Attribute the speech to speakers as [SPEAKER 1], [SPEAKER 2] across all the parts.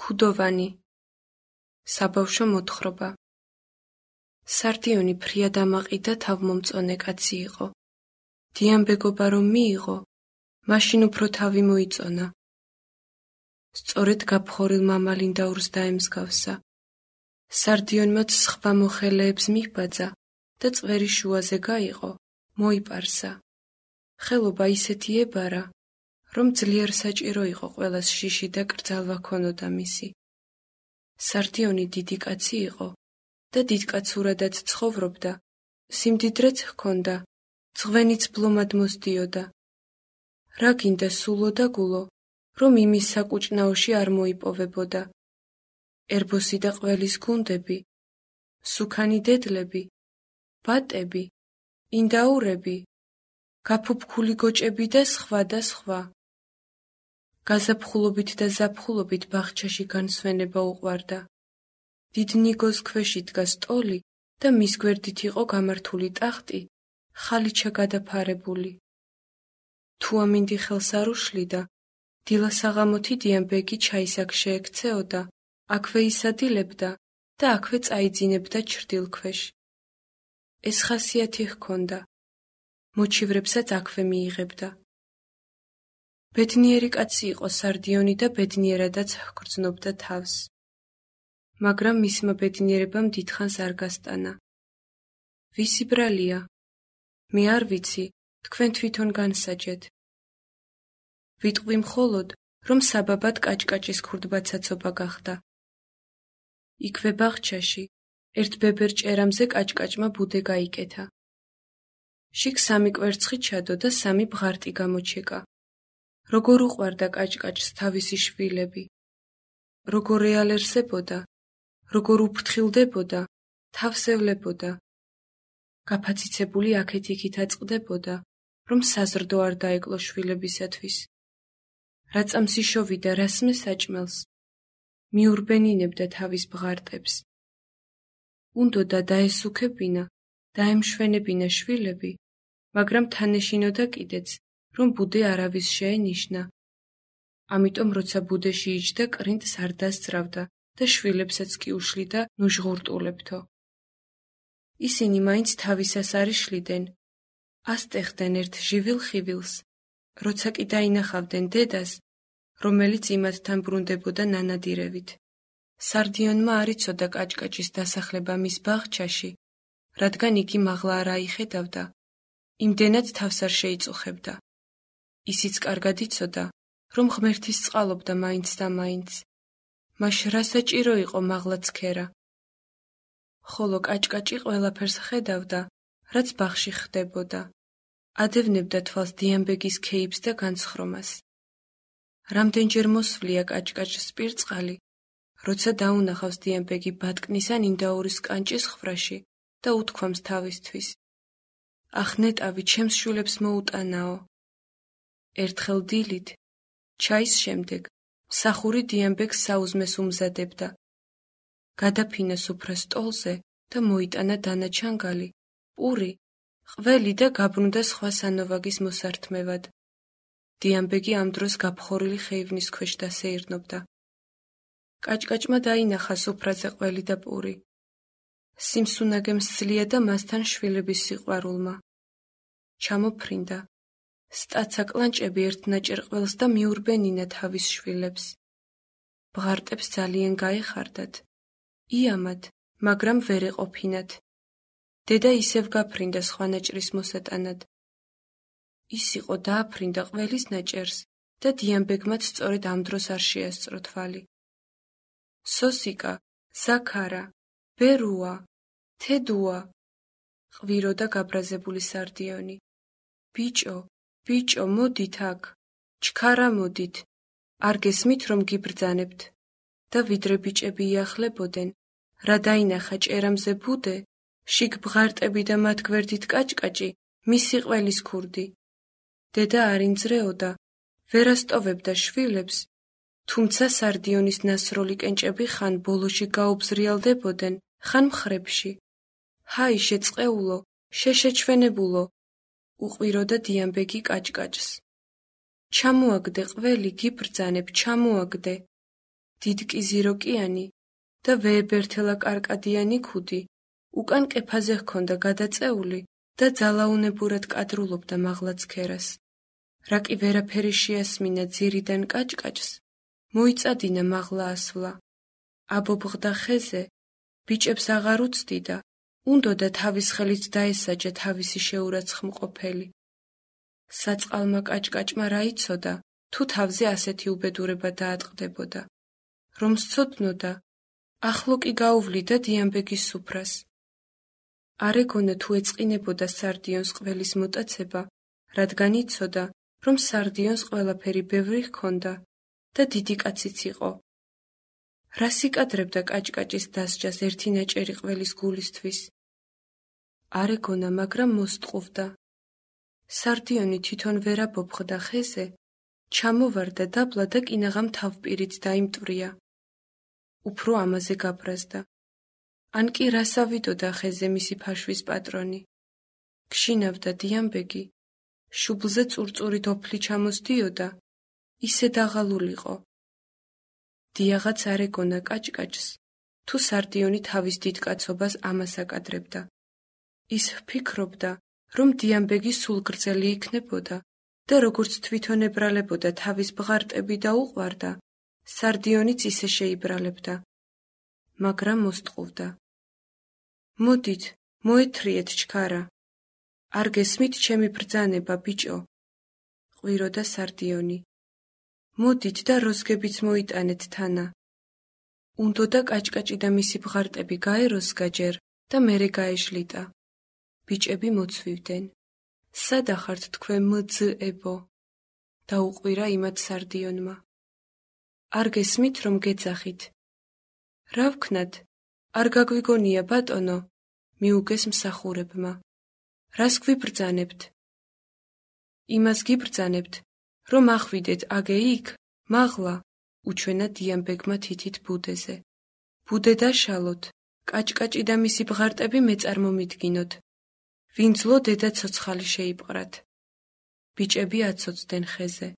[SPEAKER 1] ქუდოვანი, საბავშვო მოთხრობა. სარდიონი ფრიად ამაყიდა თავმომწონე კაცი იყო. დიამბეგობა რომ მიიღო, მაშინ უფრო თავი მოიწონა. სწორედ გაფხორილ მამალინდაურს დაემსგავსა. სარდიონმაც სხვა მოხელეებს მიჰბაძა და წვერის შუაზე გაიყო, მოიპარსა. ხელობა ისეთი ებარა, რომ ძლიერ საჭირო იყო ყველას შიში და კრძალვა ქონოდა მისი. სარდიონი დიდი კაცი იყო და დიდკაცურადაც ცხოვრობდა, სიმდიდრეც ჰქონდა, ძღვენიც ბლომად მოსდიოდა. რა გინდა სულო და გულო, რომ იმის საკუჭნაოში არ მოიპოვებოდა. ერბოსი და ყველის გუნდები, სუქანი დედლები, ბატები, ინდაურები, გაფუფქული გოჭები და სხვა და სხვა. გაზაფხულობით და ზაფხულობით ბაღჩაში განსვენება უყვარდა. დიდ ნიგოს ქვეში დგა სტოლი და მის გვერდით იყო გამართული ტახტი, ხალიჩა გადაფარებული. თუ ამინდი ხელს არ უშლიდა, დილა-საღამოთი დიამბეგი ჩაის აქ შეექცეოდა, აქვე ისადილებდა და აქვე წაიძინებდა ჩრდილქვეშ. ეს ხასიათი ჰქონდა, მოჩივრებსაც აქვე მიიღებდა. ბედნიერი კაცი იყო სარდიონი და ბედნიერადაც ჰგრძნობდა თავს. მაგრამ მისმა ბედნიერებამ დიდხანს არ გასტანა. ვისი ბრალია? მე არ ვიცი, თქვენ თვითონ განსაჯეთ. ვიტყვი მხოლოდ, რომ საბაბად კაჭკაჭის ქურდბაცაცობა გახდა. იქვე ბაღჩაში, ერთ ბებერ ჭერამზე კაჭკაჭმა ბუდე გაიკეთა. შიგ 3 კვერცხი ჩადო და 3 ბღარტი გამოჩეკა. როგორ უყვარდა კაჭკაჭს თავისი შვილები. როგორ ეალერსებოდა, როგორ უფრთხილდებოდა, თავს ევლებოდა. გაფაციცებული აქეთ-იქით აწყდებოდა, რომ საზრდო არ დაეკლო შვილებისათვის. რა წამს იშოვიდა რას მესაჭმელს, მიურბენინებდა თავის ბღარტებს. უნდოდა დაესუქებინა, დაემშვენებინა შვილები, მაგრამ თან ეშინოდა კიდეც, რომ ბუდე არავის შეენიშნა. ამიტომ როცა ბუდეში იჯდა, კრინტს არ დასძრავდა და შვილებსაც კი უშლიდა ნუჟღურტულებთო. ისინი მაინც თავისას არ იშლიდნენ, ასტეხდნენ ერთ ჟივილ ხივილს, როცა კი დაინახავდნენ დედას, რომელიც იმათთან ბრუნდებოდა ნანადირევით. სარდიონმა არ იცოდა კაჭკაჭის დასახლება მის ბაღჩაში, რადგან იგი მაღლა არ აიხედავდა, იმდენად თავს არ შეიწუხებდა. ისიც კარგად იცოდა, რომ ღმერთის წყალობდა მაინც და მაინც. მაშ რა საჭირო იყო მაღლა ცქერა? ხოლო კაჭკაჭი ყველაფერს ხედავდა, რაც ბაღში ხდებოდა. ადევნებდა თვალს დიამბეგის ქეიფს და განცხრომას. რამდენჯერ მოსვლია კაჭკაჭს სპირწყალი, როცა დაუნახავს დიამბეგი ბატკნის ან ინდაურის კანჭის ხვრაში და უთქვამს თავისთვის: ახ ნეტავი ჩემს შვილებს მოუტანაო. ერთხელ დილით, ჩაის შემდეგ, მსახური დიამბეგს საუზმეს უმზადებდა. გადაფინა სუფრა სტოლზე და მოიტანა დანაჩანგალი, პური, ყველი და გაბრუნდა სხვა სანოვაგის მოსართმევად. დიამბეგი ამ დროს გაფხორილი ხეივნის ქვეშ დასეირნობდა. კაჭკაჭმა დაინახა სუფრაზე ყველი და პური. სიმსუნაგემ სძლია და მასთან შვილების სიყვარულმა. ჩამოფრინდა. სტაცა კლანჭები ერთნაჭერ ყველს და მიურბენინა თავის შვილებს. ბღარტებს ძალიან გაეხარდათ. იამად, მაგრამ ვერ ეყოფინათ. დედა ისევ გაფრინდა სხვა ნაჭრის მოსატანად. ის იყო დააფრინდა ყველის ნაჭერს და დიამბეგმაც სწორედ ამ დროს არ შეასწრო თვალი. სოსიკა, ზაქარა, ბერუა, თედუა, ყვიროდა გაბრაზებული სარდიონი. ბიჭო, ბიჭო, მოდით აქ, ჩქარა მოდით, არ გესმით რომ გიბრძანებთ. და ვიდრე ბიჭები იახლებოდნენ, რა დაინახა ჭერამზე ბუდე, შიგ ბღარტები და მათ გვერდით კაჭკაჭი, მისი ყველის ქურდი. დედა არ ინძრეოდა, ვერ ასტოვებდა შვილებს, თუმცა სარდიონის ნასროლი კენჭები ხან ბოლოში გაუბზრიალდებოდნენ, ხან მხრებში. ჰაი შეწყეულო, შეშეჩვენებულო, უყვიროდა დიამბეგი კაჭკაჭს. ჩამოაგდე ყველი, გიბრძანებ, ჩამოაგდე. დიდკიზიროკიანი და ვეებერთელა კარკადიანი ქუდი, უკან კეფაზე ჰქონდა გადაწეული და ძალაუნებურად კადრულობდა მაღლა ცქერას. რა კი ვერაფერი შეასმინა ძირიდან კაჭკაჭს, მოიწადინა მაღლა ასვლა. აბობღდა ხეზე, ბიჭებს აღარ უცდიდა, უნდოდა თავის ხელით დაესაჯა თავისი შეურაცხმყოფელი. საწყალმა კაჭკაჭმა რა იცოდა, თუ თავზე ასეთი უბედურება დაატყდებოდა. რომ სცოდნოდა, ახლო კი გაუვლიდა დიამბეგის სუფრას. არ ეგონა თუ ეწყინებოდა სარდიონს ყველის მოტაცება, რადგან იცოდა, რომ სარდიონს ყველაფერი ბევრი ჰქონდა და დიდი კაციც იყო. რას იკადრებდა კაჭკაჭის დასჯას ერთი ნაჭერი ყველის გულისთვის? არ ეგონა, მაგრამ მოსტყუვდა. სარდიონი თვითონ ვერ აბობხდა ხეზე, ჩამოვარდა დაბლა და კინაღამ თავპირით დაიმტვრია. უფრო ამაზე გაბრაზდა. ან კი რას ავიდოდა ხეზე მისი ფაშვის პატრონი? გშინავდა დიამბეგი, შუბლზე წურწური დოფლი ჩამოსდიოდა, ისე დაღალულიყო. დიაღაც არ ეგონა კაჭკაჭს, თუ სარდიონი თავის დიდკაცობას ამას აკადრებდა. ის ფიქრობდა, რომ დიამბეგი სულ გრძელი იქნებოდა და როგორც თვითონ ებრალებოდა თავის ბღარტები და უყვარდა, სარდიონიც ისე შეიბრალებდა. მაგრამ მოსტყუვდა. მოდით, მოეთრიეთ ჩქარა. არ გესმით ჩემი ბრძანება, ბიჭო? ყვიროდა სარდიონი. მოდით და როზგებიც მოიტანეთ თანა. უნდოდა კაჭკაჭი და მისი ბღარტები გაეროსგა ჯერ და მერე გაეშლიტა. ბიჭები მოცვივდნენ. სადა ხართ თქვენ მძებო? დაუყვირა იმათ სარდიონმა. არ გესმით რომ გეძახით? რა ვქნათ? არ გაგვიგონია ბატონო, მიუგეს მსახურებმა. რას გვიბრძანებთ? იმას გიბრძანებთ, რომ ახვიდეთ აგე იქ, მაღლა, უჩვენა დიამბეგმა თითით ბუდეზე. ბუდე დაშალოთ, კაჭკაჭი და მისი ბღარტები მეწარმომიდგინოთ. ვინძლო დედა ცოცხალი შეიპყრათ. ბიჭები აცოცდნენ ხეზე.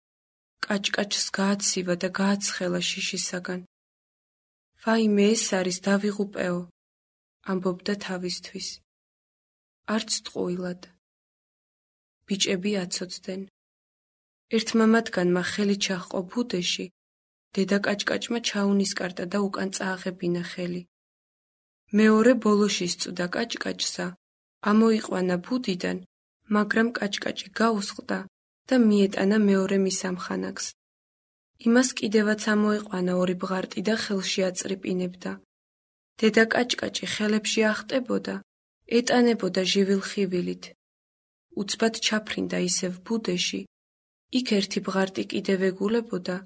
[SPEAKER 1] კაჭკაჭს გააცივა და გააცხელა შიშისაგან. ვაიმე, ეს არის დავიღუპეო, ამბობდა თავისთვის. არც ტყუილად. ბიჭები აცოცდნენ. ერთმა მათგანმა ხელი ჩაჰყო ბუდეში, დედა კაჭკაჭმა ჩაუნისკარტა და უკან წააღებინა ხელი. მეორე ბოლოში სწუდა კაჭკაჭსა, ამოიყვანა ბუდიდან, მაგრამ კაჭკაჭი გაუსხდა და მიეტანა მეორე მის ამხანაგს. იმას კიდევაც ამოიყვანა ორი ბღარტი და ხელში აწრიპინებდა. დედა კაჭკაჭი ხელებში ახტებოდა, ეტანებოდა ჟივილხივილით. უცბად ჩაფრინდა ისევ ბუდეში, იქ ერთი ბღარტი კიდევ ეგულებოდა,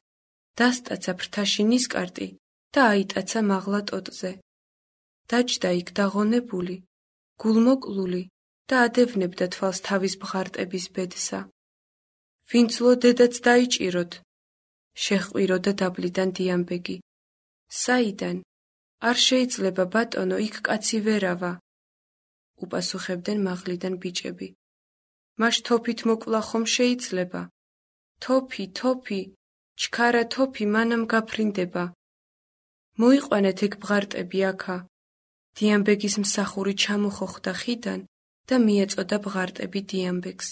[SPEAKER 1] დასტაცა ფრთაში ნისკარტი და აიტაცა მაღლა ტოტზე. დაჯდა იქ დაღონებული, გულმოკლული და ადევნებდა თვალს თავის ბღარტების ბედსა. ვინცლო დედაც დაიჭიროთ, შეჰყვიროდა დაბლიდან დიამბეგი. საიდან? არ შეიძლება ბატონო, იქ კაცი ვერავა. უპასუხებდნენ მაღლიდან ბიჭები. მაშ თოფით მოკლა ხომ შეიძლება? თოფი, თოფი, ჩქარა თოფი მანამ გაფრინდება. მოიყვანეთ ეგ ბღარტები აქა. დიამბეგის მსახური ჩამოხოხდა ხიდან და მიეწოდა ბღარტები დიამბეგს.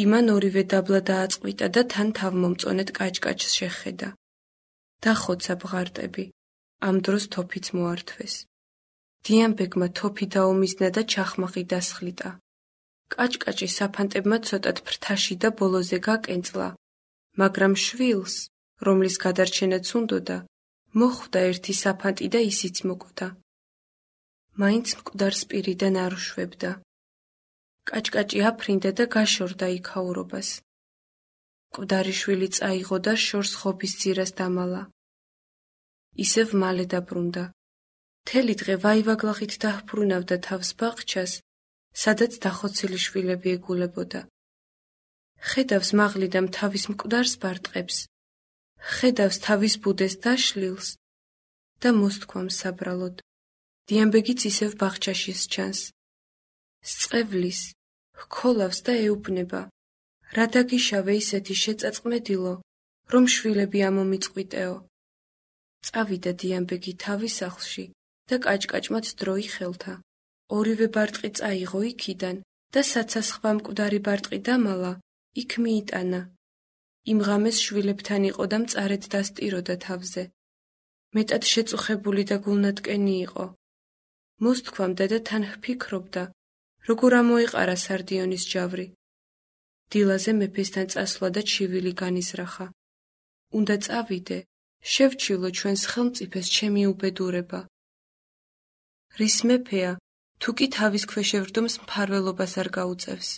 [SPEAKER 1] იმან ორივე დაბლა დააწყვიტა და თან თავმომწონეთ კაჭკაჭს შეხედა. დახოცა ბღარტები, ამ დროს თოფიც მოართვეს. დიამბეგმა თოფი დაომიზნა და ჩახმაღი დასხლიტა. კაჭკაჭი საფანტებმა ცოტად ფრთაში და ბოლოზე გაკენწლა, მაგრამ შვილს, რომლის გადარჩენაც უნდოდა, მოხვდა ერთი საფანტი და ისიც მოკვდა. მაინც მკვდარ სპირიდან არ უშვებდა. კაჭკაჭი აფრინდა და გაშორდა იქაურობას. მკვდარი შვილი წაიღო და შორს ხობის ძირას დამალა. ისევ მალე დაბრუნდა. მთელი დღე ვაივაგლაღით დაჰბრუნავდა თავს ბაღჩას, სადაც დახოცილი შვილები ეგულებოდა. ხედავს მაღლიდან თავის მკვდარს ბარტყებს, ხედავს თავის ბუდეს დაშლილს და მოსთქვამს საბრალოდ. დიამბეგიც ისევ ბაღჩაში სჩანს. სწევლის, ჰქოლავს და ეუბნება. რა დაგიშავე ისეთი შეწაწმედილო, რომ შვილები ამომიწყვიტეო. წავიდა დიამბეგი თავის სახლში და კაჭკაჭმაც დროი ხელთა. ორივე ბარტყი წაიღო იქიდან და საცას სხვა მკვდარი ბარტყი დამალა, იქ მიიტანა. იმ ღამეს შვილებთან იყო და მწარედ დასტიროდა თავზე. მეტად შეწუხებული და გულნატკენი იყო. მოსთქვამდა და თან ჰფიქრობდა, როგორ ამოეყარა სარდიონის ჯავრი. დილაზე მეფესთან წასვლა და ჩივილი განიზრახა. უნდა წავიდე, შევჩივლო ჩვენს ხელმწიფეს ჩემი უბედურება. რის მეფეა, თუ კი თავის ქვეშევრდომს მფარველობას არ გაუწევს,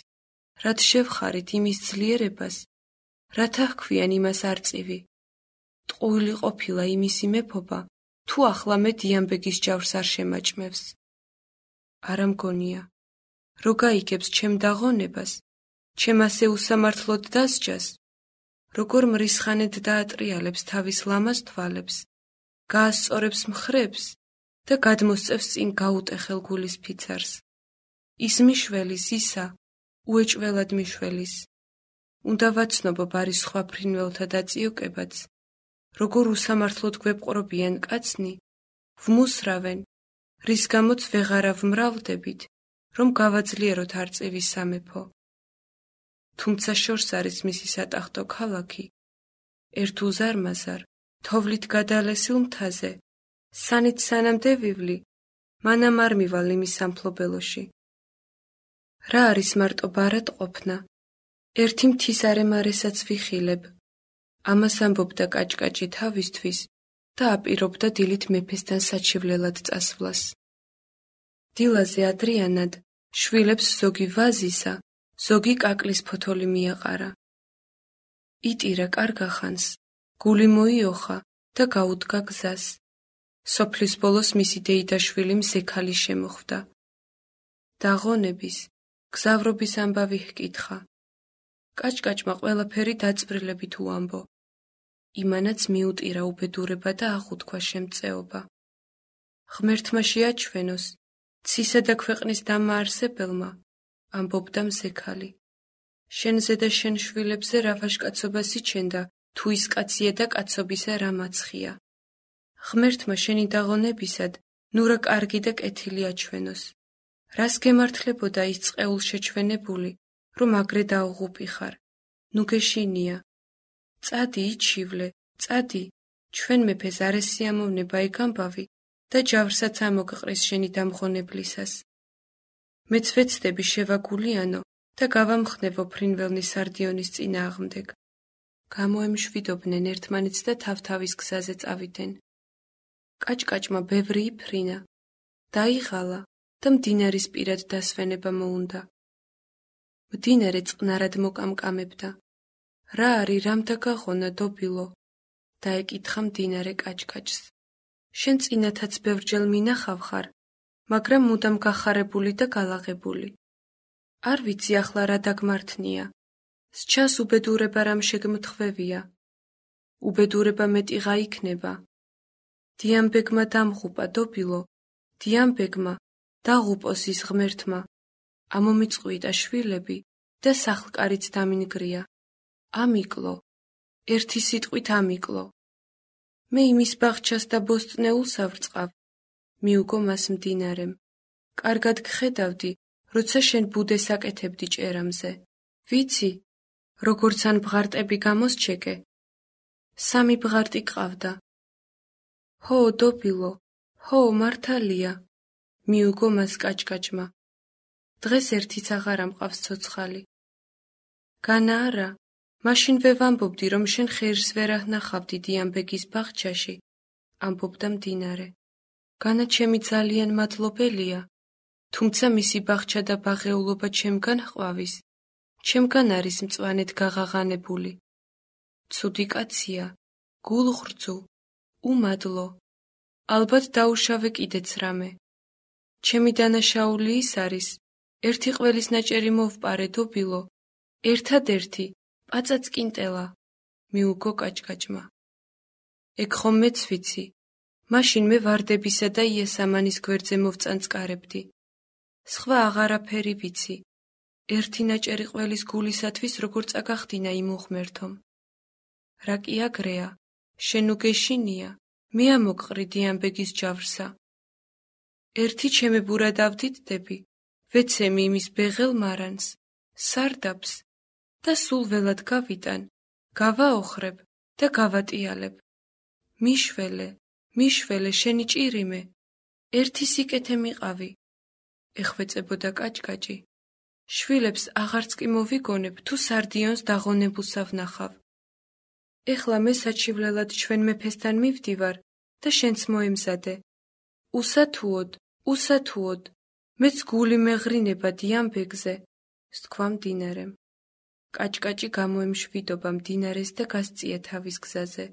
[SPEAKER 1] რად შევხარით იმის ძლიერებას, რათა ჰქვიან იმას არწივი. ტყუილი ყოფილა იმისი მეფობა, თუ ახლა მე დიამბეგის ჯავრს არ შემაჭმევს. არა მგონია, რო გაიგებს ჩემ დაღონებას, ჩემ ასე უსამართლოდ დასჯას, როგორ მრისხანედ დაატრიალებს თავის ლამაზ თვალებს, გაასწორებს მხრებს და გადმოსწევს წინ გაუტეხელ გულის ფიცარს. ის მიშველის ისა, უეჭველად მიშველის. უნდა ვაცნობო ბარის სხვა ფრინველთა დაწიოკებაც, როგორ უსამართლოდ გვეპყრობიან კაცნი, ვმუსრავენ, რის გამოც ვეღარა ვმრავლდებით, რომ გავაძლიეროთ არწივის სამეფო. თუმცა შორს არის მისი სატახტო ქალაქი, ერთ უზარმაზარ, თოვლით გადალესილ მთაზე, სანით სანამ დევივლი, მანამ არ მივალ იმის სამფლობელოში. რა არის მარტო ბარად ყოფნა, ერთი მთის არემარესაც ვიხილებ. ამას ამბობდა კაჭკაჭი თავისთვის და აპირობდა დილით მეფესთან საჩივლელად წასვლას. დილაზე ადრიანად შვილებს ზოგი ვაზისა, ზოგი კაკლის ფოთოლი მიაყარა. იტირა კარგახანს, გული მოიოხა და გაუდგა გზას. სოფლის ბოლოს მისი დეიდაშვილი მზექალი შემოხვდა. დაღონების, გზავრობის ამბავი ჰკითხა. კაჭკაჭმა ყველაფერი დაწვრილებით უამბო. იმანაც მიუტირა უბედურება და აღუთქვა შემწეობა. ღმერთმა შეაჩვენოს, ცისა და ქვეყნის დამაარსებელმა, ამბობდა მზექალი. შენზე და შენ შვილებზე რა ვაჟკაცობა სიჩენდა, თუ ის კაცია და კაცობისა რა მაცხია. ღმერთმა შენი დაღონებისად, ნუ რა კარგი და კეთილი აჩვენოს. რას გემართლებოდა ის წყეულ შეჩვენებული, რომ აგრე დაუღუპი ხარ, ნუ გეშინია. წადი იჩივლე, წადი, ჩვენ მეფეს არ ესიამოვნება ეგ ამბავი და ჯავრსაც ამოგყრის შენი დამღონებლისას. მეც ვეცდები შევაგულიანო და გავამხნევო ფრინველნის სარდიონის წინააღმდეგ. გამოემშვიდობდნენ ერთმანეთს და თავ-თავის გზაზე წავიდნენ. კაჭკაჭმა ბევრი იფრინა, დაიღალა და მდინარის პირად დასვენება მოუნდა. მდინარე წყნარად მოკამკამებდა. რა არის რამ დაგაღონა დობილო? დაეკითხა მდინარე კაჭკაჭს. შენ წინათაც ბევრჯერ მინახავ ხარ, მაგრამ მუდამ გახარებული და გალაღებული. არ ვიცი ახლა რა დაგმართნია. სჩას უბედურება რამ შეგმთხვევია. უბედურება მეტიღა იქნება. დიამბეგმა დამღუპა დობილო, დიამბეგმა დაღუპოს ის ღმერთმა. ამომიწყვიტა შვილები და სახლკარიც დამინგრია. ამიკლო, ერთი სიტყვით ამიკლო. მე იმის ბაღჩას და ბოსტნეულს ავრწყავ, მიუგო მას მდინარემ. კარგად გხედავდი, როცა შენ ბუდეს აკეთებდი ჭერამზე. ვიცი, როგორც ან ბღარტები გამოსჩეკე. 3 ბღარტი ყავდა. ჰო, დობილო, ჰო, მართალია, მიუგო მას კაჭკაჭმა. დღეს ერთიც აღარ ამყავს ცოცხალი. განა არა, მაშინ ვევამბობდი, რომ შენ ხერს ვერ ავნახავდი დიამბეგის ბაღჩაში, ამბობდა მდინარე. განა ჩემი ძალიან მადლობელია, თუმცა მისი ბაღჩა და ბაღეულობა ჩემგან ჰყვავის, ჩემგან არის მწვანედ გაღაღანებული. ცუდი კაცია, გულღრძუ, უმადლო, ალბათ დაუშავე კიდეც რამე. ჩემი დანაშაული ის არის, ერთი ყველის ნაჭერი მოვპარე დობილო, ერთადერთი, პაწაწკინტელა, მიუგო კაჭკაჭმა. ეგ ხომ მეც ვიცი, მაშინ მე ვარდებისა და იესამანის გვერდზე მოვწანწკარებდი. სხვა აღარაფერი ვიცი, ერთი ნაჭერი ყველის გულისათვის როგორ წაგახდინა იმ უღმერთომ. რა კი აგრეა, შენ უგეშინია, მე ამოყრი დიამბეგის ჯავრსა. ერთი ჩემებურა დავდიდდები, ვეცემი იმის ბეღელ მარანს, სარდაფს და სულ ველად გავიტან, გავაოხრებ და გავატიალებ. მიშველე, შენი ჭირიმე, ერთი სიკეთე მიყავი, ეხვეწებოდა კაჭკაჭი. შვილებს აღარც კი მოვიგონებ, თუ სარდიონს დაღონებულსა ვნახავ. ეხლა მე საჩივლელად ჩვენ მეფესთან მივდივარ და შენც მოემზადე. უსათუოდ, მეც გული მეღრინება დიამბეგზე, სთქვა მდინარემ. კაჭკაჭი გამოემშვიდობა მდინარეს და გასწია თავის გზაზე.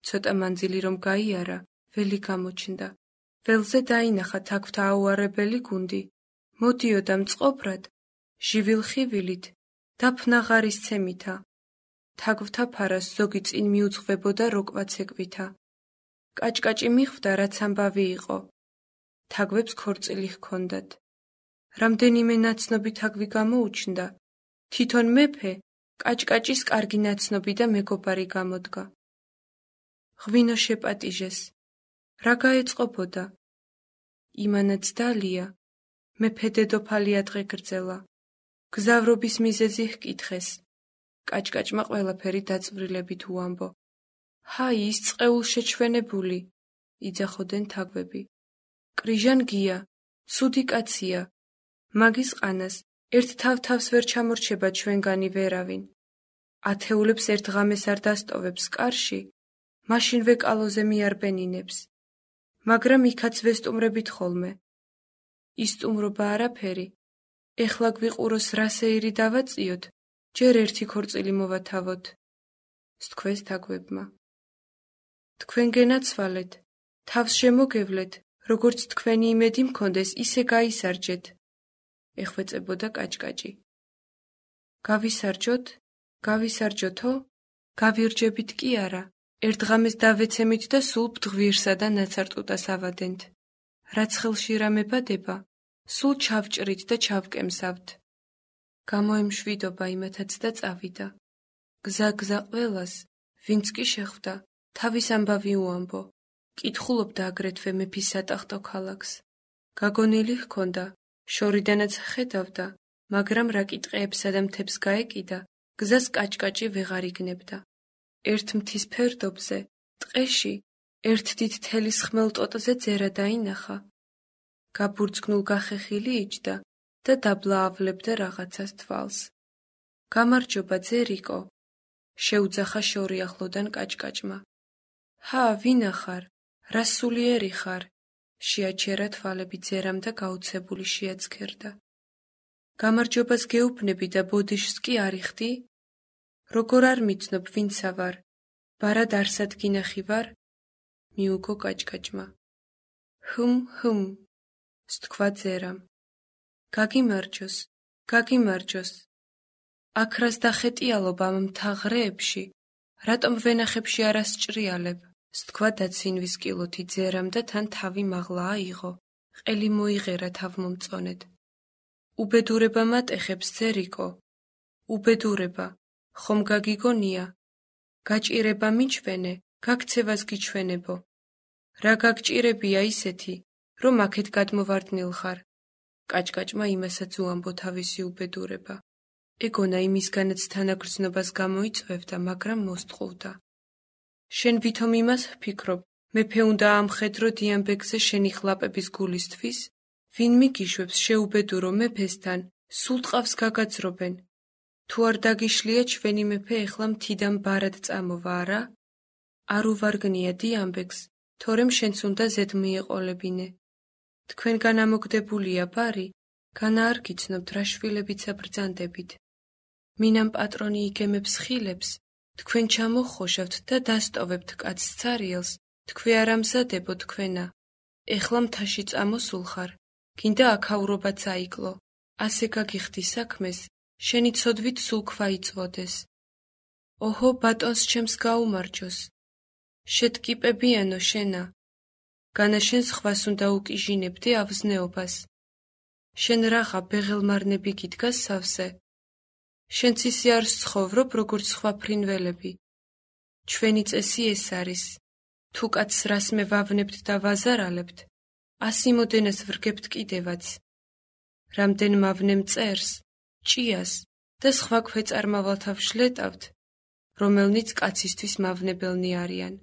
[SPEAKER 1] ცოტა მანძილი რომ გაიარა, ველი გამოჩნდა. ველზე დაინახა თაგვთა აუარებელი გუნდი. მოდიოდა მწყობრად, ჟივილ-ხივილით, დაფნაღარის ცემითა. თაგვთა ფარას ზოგი წინ მიუძღვებოდა როკვაცეკვითა. კაჭკაჭი მიხვდა, რაც ამბავი იყო. თაგვებს ქორწილი ჰქონდათ. რამდენიმე ნაცნობი თაგვი გამოუჩნდა. თვითონ მეფე კაჭკაჭის კარგი ნაცნობი და მეგობარი გამოდგა. ღვინო შეპატიჟეს. რა გაეწყობოდა? იმანაც დალია. მეფე დედოფალი ადღე გრძელა. გზავრობის მიზეზი ჰკითხეს. კაჭკაჭმა ყველაფერი დაწვრილებით უამბო. ჰაი, ის წყეულ შეჩვენებული, იძახოდნენ თაგვები. კრიჟან გია, ცუდი კაცია. მაგის ყანას ერთ თავ-თავს ვერ ჩამორჩება ჩვენგანი ვერავინ. ათეულებს ერთ ღამეს არ დასტოვებს კარში, მაშინვე კალოზე მიარბენინებს. მაგრამ იქაც ვესტუმრებით ხოლმე. ისტუმრობა არაფერი. ეხლა გვიყუროს რა სეირი დავაწიოთ, ჯერ ერთი ქორწილი მოვათავოთ, სთქვეს თაგვებმა. თქვენ გენაცვალეთ, თავს შემოგევლეთ, როგორც თქვენი იმედი მქონდეს, ისე გაისარჯეთ, ეხვეწებოდა კაჭკაჭი. გავისარჯოთო? გავირჯებით კი არა, ერთ ღამეს დავეცემით და სულ ბდღვირსა და ნაცარტუტას ავადენთ. რაც ხელში რამე ბადება, სულ ჩავჭრით და ჩავკემსავთ. გამოემშვიდობა იმათაც და წავიდა. გზა ყველას, ვინც კი შეხვდა, თავის ამბავი უამბო. კითხულობდა აგრეთვე მეფის სატახტო ქალაქს. გაგონილი ჰქონდა, შორიდანაც ხედავდა, მაგრამ რა კიტყეებსა და მთებს გაეკიდა, გზას კაჭკაჭი ვეღარ იგნებდა. ერთ მთის ფერდობზე, ტყეში, ერთ დიდ თელის ხმელტოტზე ძერა დაინახა. გაბურძგნულ გახეხილი იჯდა და დაბლაავლებდა რაღაცას თვალს. გამარჯობა, ძერიკო, შეუძახა შორი ახლოდან კაჭკაჭმა. ჰა, ვინა ხარ? რა სულიერი ხარ? შეაჩერა თვალები ძერამ და გაუცებული შეაცქერდა. გამარჯობას გეუბნები და ბოდიშს კი არიხდი? როგორ არ მიცნობ, ვინცა ვარ? ბარად არსად გინახი ვარ? მიუგო კაჭკაჭმა. ჰმ, სთქვა ძერამ. გაგიმარჯოს. აქრას დახეტიალობ ამ მთაღრეებში, რატომ ვენახებში არ ასჭრიალებ, სთქვა დაცინვის კილოთი ძერამ და თან თავი მაღლა აიღო, ყელი მოიღერა თავმომწონედ. უბედურება მატეხებს, ძერიკო, უბედურება, ხომ გაგიგონია? გაჭირება მიჩვენე, გაქცევას გიჩვენებო. რა გაგჭირებია ისეთი, რომ აქეთ გადმოვარდნილ ხარ? კაჭკაჭმა იმასაც უამბო თავისი უბედურება. ეგონა იმისგანაც თანაგრძნობას გამოიწვევდა, მაგრამ მოსტყუდა. შენ ვითომ იმას ვფიქრობ, მეფე უნდა ამხედრო დიამბეგზე შენი ხლაპების გულისთვის? ვინ მიგიშვებს შეუბედურო მეფესთან, სულ ტყავს გაგაძრობენ. თუ არ დაგიშლია ჩვენი მეფე ეხლა მთიდან ბარად წამოვა, არა? არ უვარგნია დიამბეგს, თორემ შენც უნდა ზედ მიეყოლებინე. თქვენგან ამოგდებულია ბარი, განა არ გიცნობთ რა შვილებიცა ბრძანდებით. მინამ პატრონი იგემებს ხილებს, თქვენ ჩამოხოშავთ და დასტოვებთ კაცს ცარიელს, თქვი არ ამზადებო თქვენა. ეხლა მთაში წამოსულ ხარ, გინდა აქაურობაც აიკლო, ასე გაგიხდი საქმეს, შენი ცოდვით სულ ქვა იწვოდეს. ოჰო, ბატონს ჩემს გაუმარჯოს. შეტკიპებიანო შენა. განა შენ სხვას უნდა უკიჟინებდი ავზნეობას. შენ რაღა ბეღელმარნები გიდგას სავსე. შენც ისე არ სცხოვრობ, როგორც სხვა ფრინველები. ჩვენი წესი ეს არის. თუ კაცს რას მე ვავნებთ და ვაზარალებთ, ასიმოდენას ვრგებთ კიდევაც. რამდენ მავნე მწერს, ჭიას და სხვა ქვეწარმავალთა ვშლეტავთ, რომელნიც კაცისთვის მავნებელნი არიან.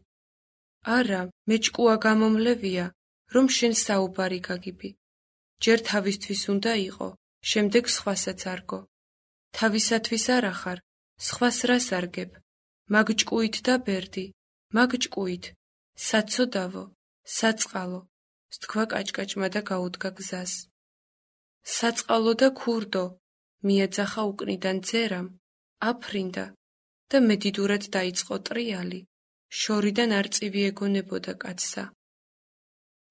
[SPEAKER 1] არა, მეჭკუა გამომლევია, რომ შენ საუბარი გაგიბი. ჯერ თავისთვის უნდა იყო, შემდეგ სხვასაც არგო. თავისათვის არ ახარ, სხვას რას არგებ? მაგ ჭკუით და ბერდი, მაგ ჭკუით, საცოდავო, საწყალო, სთქვა კაჭკაჭმა და გაუდგა გზას. საწყალო და ქურდო, მიეძახა უკნიდან ძერამ, აფრინდა და მედიდურად დაიწყო ტრიალი, შორიდან არწივი ეგონებოდა კაცსა.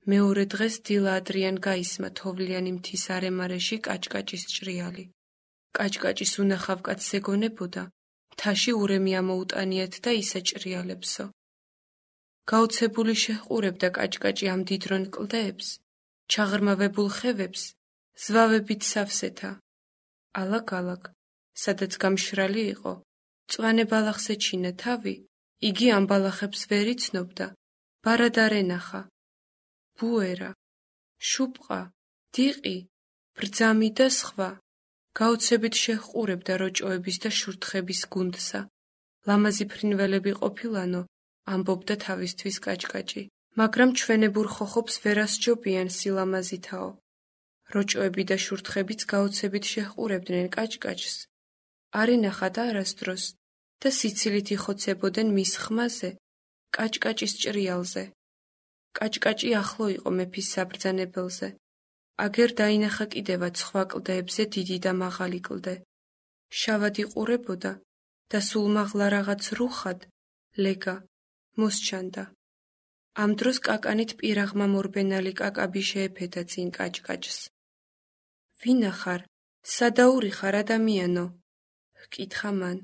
[SPEAKER 1] მეორე დღეს დილა ადრიან გაისმა თოვლიანი მთის არემარეში კაჭკაჭის ჭრიალი. კაჭკაჭის უნახავ კაცს ეგონებოდა, მთაში ურემი ამოუტანიათ და ისეჭრიალებსო. გაოცებული შეჰყურებდა კაჭკაჭი ამ დიდრონ კლდეებს, ჩაღრმავებულ ხევებს, ზვავებით სავსეთა. ალაგ-ალაგ, სადაც გამშრალი იყო, მწვანე ბალახს ეჩინა თავი, იგი ამ ბალახებს ვერ იცნობდა, ბარად არ ენახა. ბუერა, შუპყა, დიყი, ბრძამი და სხვა. გაოცებით შეჰყურებდა როჭოების და შურთხების გუნდსა. ლამაზი ფრინველები ყოფილანო, ამბობდა თავისთვის კაჭკაჭი, მაგრამ ჩვენებურ ხოხობს ვერასჯობიან სილამაზითაო. როჭოები და შურთხებიც გაოცებით შეჰყურებდნენ კაჭკაჭს. არ ენახა და არასდროს და სიცილით იხოცებოდნენ მის ხმაზე, კაჭკაჭის ჭრიალზე. კაჭკაჭი ახლო იყო მეფის საბრძანებელზე. აგერ დაინახა კიდევაც სხვა კლდეებზე დიდი და მაღალი კლდე. შავად იყურებოდა და სულ მაღლა რაღაც რუხად, ლეგა, მოსჩანდა. ამ დროს კაკანით პირაღმა მორბენალი კაკაბი შეეფედა წინ კაჭკაჭს. ვინა ხარ? სადაური ხარ ადამიანო? ჰკითხა მან.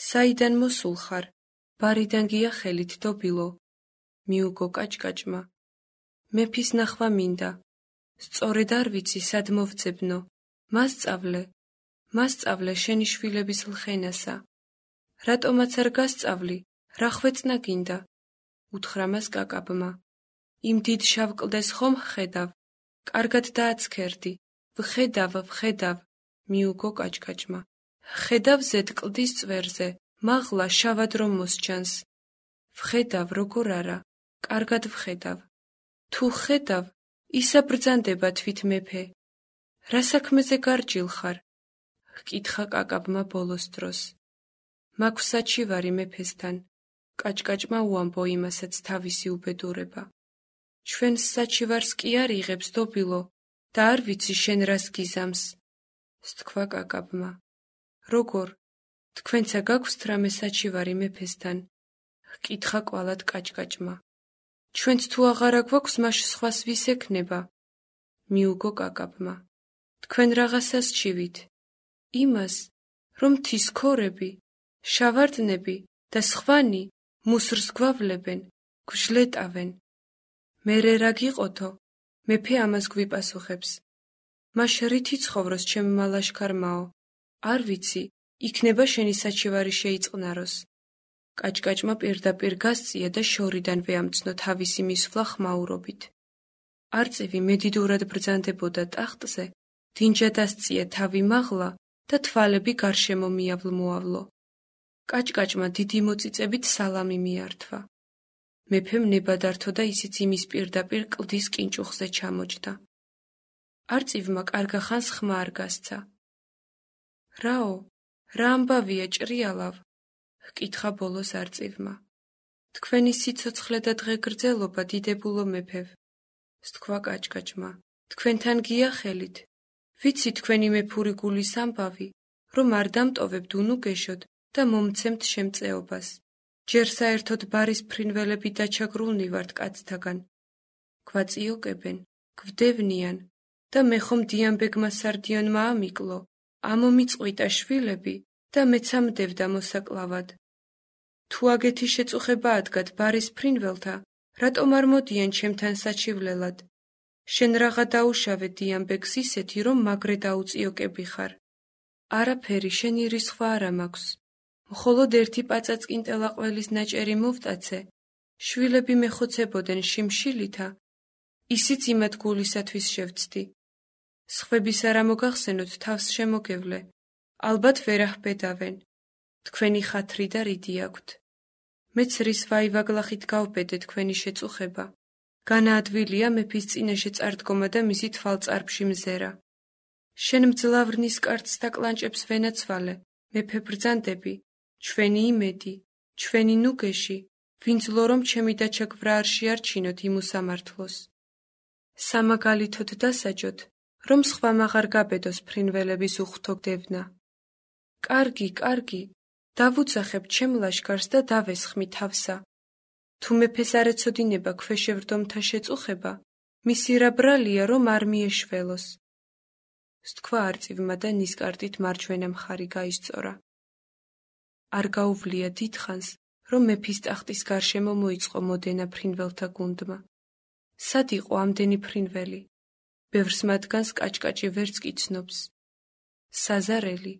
[SPEAKER 1] საიდან მოსულ ხარ? ბარიდან გია ხელით დობილო. მიუგო კაჭკაჭმა. მეფის ნახვა მინდა. სწორედ არ ვიცი სად მოვძებნო. მასწავლე შენი შვილების ლხენასა. რატომაც არ გასწავლი? რა ხვეწნა გინდა? უთხრა მას კაკაბმა. იმ დიდ შავ კლდეს ხომ ხედავ? კარგად დააცქერდი. ვხედავ, მიუგო კაჭკაჭმა. ხედავ ზედ კლდის წვერზე, მაღლა შავად რომ მოსჩანს. ვხედავ, როგორ არა, კარგად ვხედავ. თუ ხედავ, ისა ბრძანდება თვით მეფე. რა საქმეზე გარჯილ ხარ? ჰკითხა კაკაბმა ბოლოს დროს. მაქვს საჩივარი მეფესთან. კაჭკაჭმა უამბო იმასაც თავისი უბედურება. ჩვენს საჩივარს კი არ იღებს დობილო და არ ვიცი შენ რას გიზამს. სთქვა კაკაბმა. როგორ? თქვენცა გაგვსთ რამე საჩივარი მეფესთან? ჰკითხა კვალად კაჭკაჭმა. ჩვენც თუ აღარა გვაქვს, მაშ სხვას ვის ექნება? მიუგო კაკაბმა. თქვენ რაღაცას ჩივით? იმას, რომ მთის ქორები, შავარდნები და სხვანი მუსრს გვავლებენ, გვშლეტავენ. მერე რა გიყოთო? მეფე ამას გვიპასუხებს. მაშ რითი ცხოვროს ჩემმა ლაშქარმაო? არ ვიცი, იქნება შენი საჩივარი შეიწყნაროს. კაჭკაჭმა პირდაპირ გასწია და შორიდანვე ამცნო თავისი მისვლა ხმაურობით. არწივი მედიდურად ბრძანდებოდა ტახტზე, დინჯა დასწია თავი მაღლა და თვალები გარშემო მიავლ-მოავლო. კაჭკაჭმა დიდი მოწიწებით სალამი მიართვა. მეფემ ნება დართო და ისიც იმის პირდაპირ კლდის კინჭუხზე ჩამოჯდა. არწივმა კარგახანს ხმა არ გასცა. რაო, რა ამბავია ჭრიალავ? ჰკითხა ბოლოს არწივმა. თქვენი სიცოცხლე და დღეგრძელობა დიდებულო მეფევ. სთქვა კაჭკაჭმა. თქვენთან გია ხელით. ვიცი თქვენი მეფური გულის ამბავი, რომ არ დამტოვებთ უნუგეშოდ და მომცემთ შემწეობას. ჯერ საერთოდ ბარის ფრინველები დაჩაგრულნი ვართ კაცთაგან. გვაწიოკებენ, გვდევნიან და მე ხომ დიამბეგმა სარდიონმა ამიკლო, ამომიწყვიტა შვილები და მეც ამდევდა მოსაკლავად. თუ აგეთი შეწუხება ადგათ ბარის ფრინველთა, რატომ არ მოდიან ჩემთან საჩივლელად? შენ რაღა დაუშავე დიამბეგს ისეთი, რომ მაგრე დაუწიოკები ხარ. არაფერი, შენი რისხვა არა მაქვს. მხოლოდ ერთი პაწაწკინტელა ყველის ნაჭერი მოვტაცე შვილები მეხოცებოდნენ შიმშილითა, ისიც იმად გულისათვის შევცდი. სხვების არა მოგახსენოთ თავს შემოგევლე, ალბათ ვერ აჰბედავენ, თქვენი ხათრი და რიდი აქვთ. მეც რის ვაივაგლახით გავბედე თქვენი შეწუხება. განაადვილია მეფის წინაშე წარდგომა და მისი თვალწარფში მზერა. შენ მძლავრნის კარდს და კლანჭებს ვენაცვალე, მეფე ბრძანდები, ჩვენი იმედი, ჩვენი ნუგეში, ვინც ლო რომ ჩემი დაჩაგვრა არ შეარჩინოთ იმ უსამართლოს. სამაგალითოდ დასაჯოთ, რომ სხვამ აღარ გაბედოს ფრინველების უხთო დევნა. კარგი, კარგი, დავუძახებ ჩემ ლაშქარს და დავესხმი თავსა. თუ მეფეს არ ეცოდინება ქვეშევრდომთა შეწუხება, მისი რა ბრალია, რომ არ მიეშველოს. სთქვა არწივმა და ნისკარტით მარჯვენა მხარი გაისწორა. არ გაუვლია დიდხანს, რომ მეფის ტახტის გარშემო მოიწყო მოდენა ფრინველთა გუნდმა. სად იყო ამდენი ფრინველი? ბევრს მათგანს კაჭკაჭი ვერც კი ცნობს. საზარელი,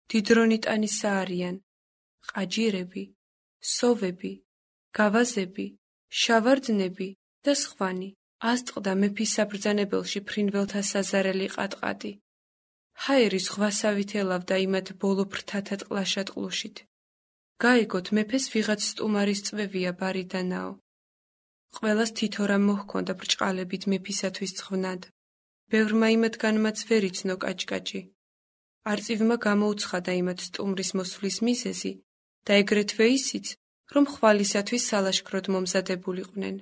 [SPEAKER 1] დიდრონიტანისა არიან, ყაჯირები, სოვები, გავაზები, შავარდნები და სხვანი. ასწყდა მეფის საბრძანებელში ფრინველთა საზარელი ყატყატი. ჰაერი ზღვასავით ელავდა იმათ ბოლო ფრთათა ტყლაშად ყლუშით. გაეგოთ მეფეს ვიღაც სტუმარის წვევია ბარიდანაო. ყველას თითო რამ მოჰქონდა ბრჭყალებით მეფისათვის ცხვნად. ბევრმა იმათგანმაც ვერ იცნო კაჭკაჭი. არწივმა გამოუცხადა იმათ სტუმრის მოსვლის მიზეზი და ეგრეთვე ისიც, რომ ხვალისათვის სალაშქროდ მომზადებულიყვნენ.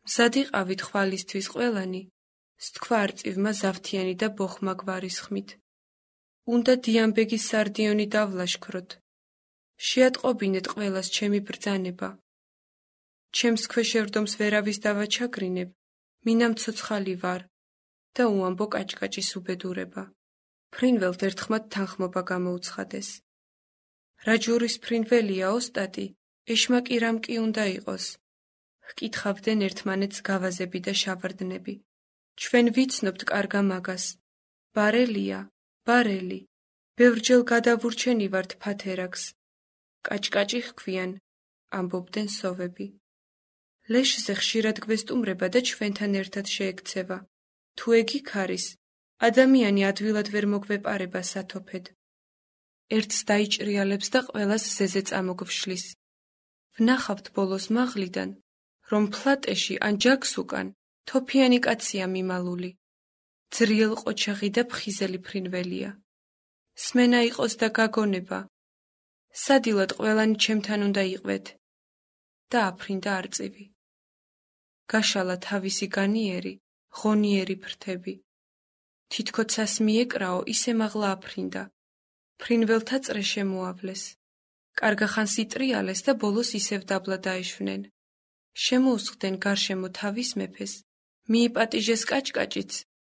[SPEAKER 1] მზად იყავით ხვალისთვის ყველანი, სთქვა არწივმა ზავთიანი და ბოხმა გვარის ხმით. უნდა დიამბეგის სარდიონი დავლაშქროთ. შეატყობინეთ ყველას ჩემი ბრძანება. ჩემს ქვეშევრდომს ვერავის დავაჩაგრინებ, მინამ ცოცხალი ვარ და უამბო კაჭკაჭის უბედურება. ფრინველთ ერთხმად თანხმობა გამოუცხადეს. რა ჯურის ფრინველია ოსტატი, ეშმაკი რამ კი უნდა იყოს? ჰკითხავდნენ ერთმანეთს გავაზები და შავარდნები. ჩვენ ვიცნობთ კარგა მაგას. ბარელია, ბარელი, ბევრჯერ გადავურჩენი ვართ ფათერაკს. კაჭკაჭი ჰქვიან, ამბობდნენ სოვები. ლეშზე ხშირად გვესტუმრება და ჩვენთან ერთად შეექცევა. თუ ეგ იქ არის, ადამიანი ადვილად ვერ მოგვეპარება სათოფედ. ერთს დაიჭრიალებს და ყველას ზეზე წამოგვშლის. ვნახავთ ბოლოს მაღლიდან, რომ ფლატეში ან ჯაქს უკან თოფიანი კაცია მიმალული. ძრიელ ყოჩაღი და ფხიზელი ფრინველია. სმენა იყოს და გაგონება. სადილად ყველანი ჩემთან უნდა იყვეთ. და აფრინდა არწივი. გაშალა თავისი განიერი, ღონიერი ფრთები. თითქოცას მიეკრაო, ისე მაღლა აფრინდა. ფრინველთა წრე შემოავლეს. კარგახანს იტრიალეს და ბოლოს ისევ დაბლა დაეშვნენ. შემოუსხდნენ გარშემო თავის მეფეს, მიიპატიჟეს კაჭკაჭიც,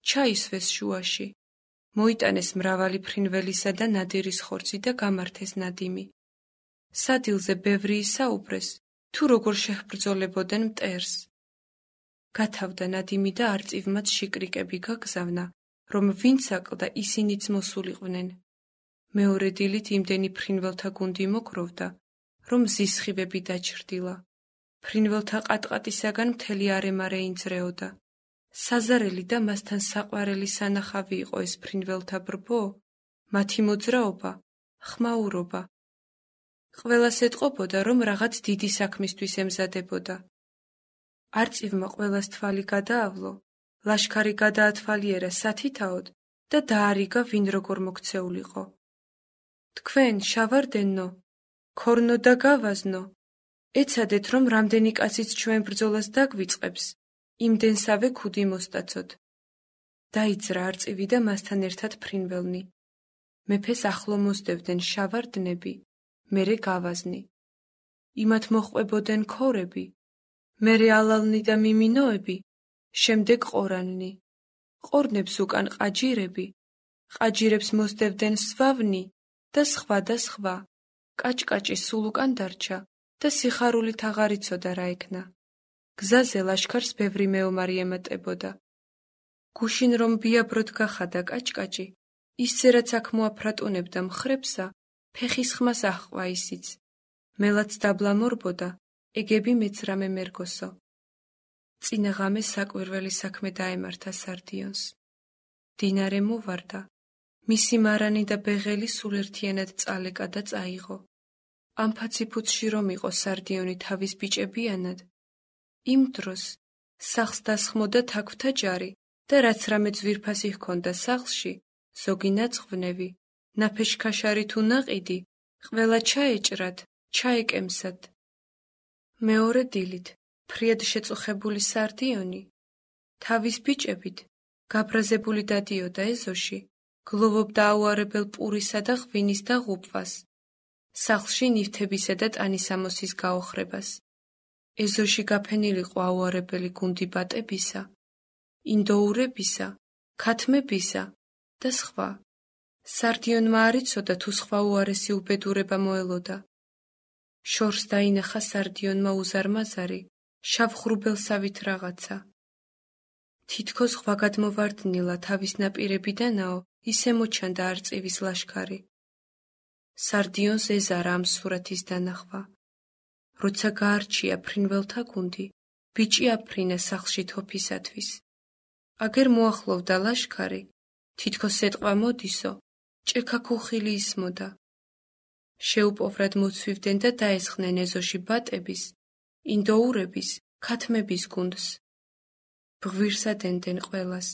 [SPEAKER 1] ჩაისვეს შუაში. მოიტანეს მრავალი ფრინველისა და ნადირის ხორცი და გამართეს ნადიმი. სადილზე ბევრი ისაუბრეს, თუ როგორ შეჰბრძოლებოდნენ მტერს. გათავდა ნადიმი და არწივმაც შიკრიკები გაგზავნა, რომ ვინც აკლდა ისინიც მოსულიყვნენ. მეორე დილით იმდენი ფრინველთა გუნდი მოგროვდა, რომ ზისხივები დაჩრდილა. ფრინველთა ყატყატისაგან მთელი არემა რეინძრეოდა. საზარელი და მასთან საყვარელი სანახავი იყო ეს ფრინველთა ბრბო, მათი მოძრაობა, ხმაურობა. ყველას ეტყობოდა, რომ რაღაც დიდი საქმისთვის ემზადებოდა. არწივმა ყველას თვალი გადაავლო, ლაშქარი გადაათვალიერა სათითაოდ და დაარიგა ვინ როგორ მოქცეულიყო. თქვენ, შავარდენო, ქორნო და გავაზნო, ეცადეთ, რომ რამდენი კაციც ჩვენ ბრძოლას დაგვიწყებს, იმდენსავე ქუდი მოსტაცოთ. დაიძრა არწივი და მასთან ერთად ფრინველნი. მეფეს ახლო მოსდევდნენ შავარდნები, მერე გავაზნი. იმათ მოჰყვებოდნენ ქორები, მერე ალალნი და მიმინოები, შემდეგ ყორანნი. ყორნებს უკან ყაჯირები, ყაჯირებს მოსდევდნენ სვავნი და სხვა და სხვა. კაჭკაჭი სულ უკან დარჩა და სიხარულით აღარ იცოდა რა ექნა. გზაზე ლაშქარს ბევრი მეომარი ემატებოდა. გუშინ რომ ბიაბროდ გახადა კაჭკაჭი, ისცერაც აქ მოაფრატუნებდა მხრებსა, ფეხის ხმას აჰყვა ისიც. მელაც დაბლა მორბოდა, ეგები მეძრამე მერგოსო. წინა ღამე საკვირველი საქმე დაემართა სარდიონს. მდინარე მოვარდა, მისი მარანი და ბეღელი სულ ერთიანად წალეკა და წაიღო. ამ ფაციფუცში რომ იყო სარდიონი თავის ბიჭებიანად, იმ დროს სახლს დასხმოდა თაგვთა ჯარი და რაც რამე ძვირფასი ჰქონდა სახლში, ზოგი ნაწყვნევი, ნაფეშქაშარი თუ ნაყიდი, ყველა ჩაეჭრათ, ჩაეკემსათ. მეორე დილით, ფრიად შეწუხებული სარდიონი, თავის ბიჭებით, გაბრაზებული დადიოდა ეზოში, გლოვობდა აუარებელ პურისა და ღვინის და ღუპვას, სახლში ნივთებისა და ტანისამოსის გაოხრებას. ეზოში გაფენილიყო აუარებელი გუნდი ბატებისა, ინდოურებისა, ქათმებისა და სხვა. სარდიონმა არ იცოდა თუ სხვა უარესი უბედურება მოელოდა. შორს დაინახა სარდიონმა უზარმაზარი, შავღრუბელსავით რაღაცა. თითქოს ღვაგადმოვარდნილა თავის ნაპირებიდანაო ისე მოჩანდა არწივის ლაშქარი. სარდიონს ეზარა ამ სურათის დანახვა. როცა გაარჩია ფრინველთა გუნდი, ბიჭი აფრინა სახლში თოფისათვის. აგერ მოახლოვდა ლაშქარი, თითქოს ეტყვა მოდისო, ჭექაქუხილი ისმოდა. შეუპოვრად მოცვივდნენ და დაესხნენ ეზოში ბატების, ინდოურების, ქათმების გუნდს. ბღვირსა დენდნენ ყველას.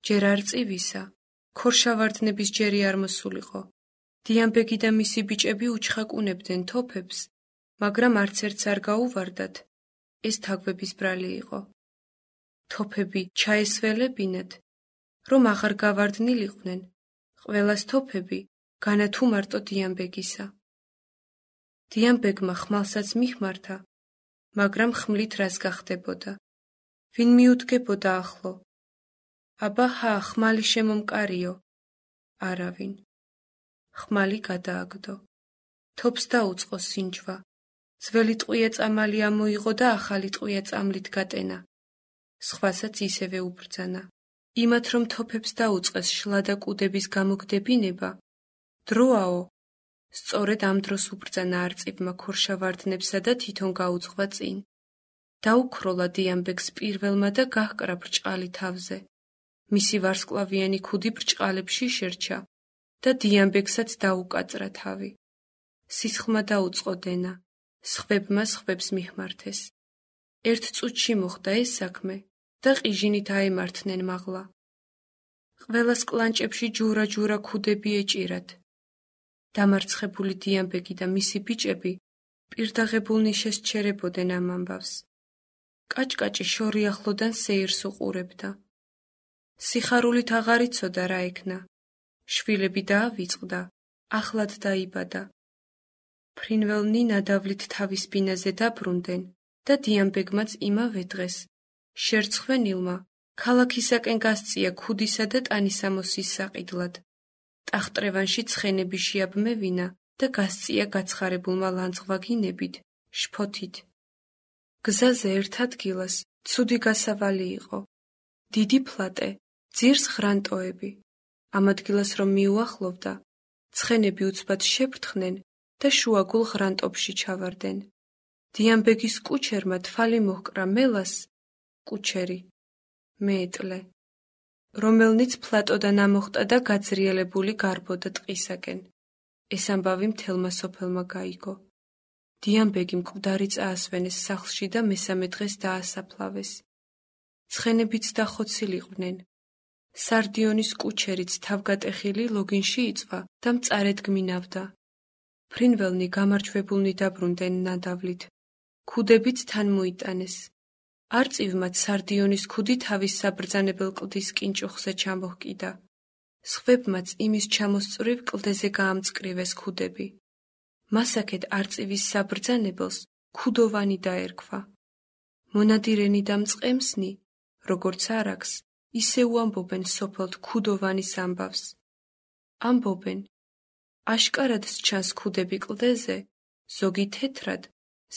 [SPEAKER 1] ჯერ არწივისა, ქორშავარდნების ჯერი არ მოსულიყო. დიამბეგი და მისი ბიჭები უჩხაკუნებდნენ თოფებს, მაგრამ არც ერთს არ გაუვარდათ. ეს თაგვების ბრალი იყო. თოფები ჩაესველებინათ, რომ აღარ გავარდნილიყვნენ, ყველას თოფები, განა თუ მარტო დიამბეგისა. დიამბეგმა ხმალსაც მიხმართა, მაგრამ ხმლით რას გახდებოდა? ვინ მიუდგებოდა ახლო? აბა ჰა, ხმალი შემომკარიო. არავინ. ხმალი გადააგდო. თოფს დაუწყო სინჯვა. ძველი ტყვია წამალი ამოიღო და ახალი ტყვია წამლით გატენა. სხვასაც ისევე უბრძანა. იმათ რომ თოფებს დაუწყეს შლა და კუდების გამოგდებინება, დროაო. სწორედ ამ დროს უბრძანა არწივმა ქორშავარდნებსა და თვითონ გაუძღვა წინ. დაუქროლა დიამბეგს პირველმა და გაჰკრა ბრჭყალი თავზე. მისი ვარსკვლავიანი ქუდი ბრჭყალებში შერჩა და დიამბეგსაც დაუკაწრა თავი. სისხლმა დაუწყო დენა, სხვებმა სხვებს მიხმართეს. ერთ წუთში მოხდა ეს საქმე და ყიჟინით აემართნენ მაღლა. ყველას კლანჭებში ჯურა-ჯურა ქუდები ეჭირათ. დამარცხებული დიამბეგი და მისი ბიჭები პირდაღებულ ნიშეს ჩერებოდნენ ამ ამბავს. კაჭკაჭი შორი ახლოდან სეირს უყურებდა. სიხარულით აღარ იცოდა რა ექნა. შვილები დაავიწყდა, ახლად დაიბადა. ფრინველნი ნადავლით თავის ბინაზე დაბრუნდნენ და დიამბეგმაც იმავე დღეს შერცხვენილმა ქალაქისაკენ გასწია ქუდისა და ტანისამოსის საყიდლად. ტახტრევანში ცხენები შეაბმევინა და გასწია გაცხარებულმა ლანძღვაგინებით, შფოთით. გზაზე ერთ ადგილას ცუდი გასავალი იყო. დიდი ფლატე, ძირს ღრანტოები. ამ ადგილას რომ მიუახლოვდა, ცხენები უცბად შეფრთხნენ და შუაგულ ღრანტებში ჩავარდნენ. დიამბეგის კუჩერმა თვალი მოჰკრა მელას, კუჩერი, მეეტლე, რომელნიც ფლატოდან ამოხტა და გაძრიელებული გარბოდა ტყისაკენ. ეს ამბავი მთელმა სოფელმა გაიგო. დიამბეგი მკვდარი წაასვენეს სახლში და მესამე დღეს დაასაფლავეს. ცხენებიც დახოცილიყვნენ. სარდიონის კუჩერიც თავგატეხილი ლოგინში იწვა და მწარედ გმინავდა. ფრინველნი გამარჯვებულნი დაბრუნდნენ ნადავლით. ქუდებიც თან მოიტანეს. არწივმაც სარდიონის ქუდი თავის საბრძანებელ კლდის კინჭუხზე ჩამოჰკიდა. სხვებმაც იმის ჩამოსწვრივ კლდეზე გაამწკრივეს ქუდები. მასაკეთ არწივის საბრძანებელს ქუდოვანი დაერქვა. მონადირენი და მწყემსნი, როგორც არაქს, ისე უამბობენ სოფელთ ქუდოვანის ამბავს. ამბობენ, აშკარად სჩანს ქუდები კლდეზე, ზოგი თეთრად,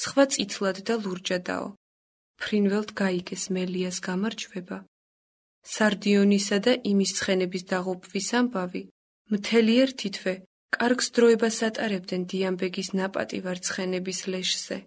[SPEAKER 1] სხვა წითლად და ლურჯადაო. ფრინველთ გაიგეს მელიას გამარჯვება. სარდიონისა და იმის ცხენების დაღუპვის ამბავი მთელი ერთი თვე კარგს დროებას ატარებდნენ დიამბეგის ნაპატივარ ცხენების ლეშზე.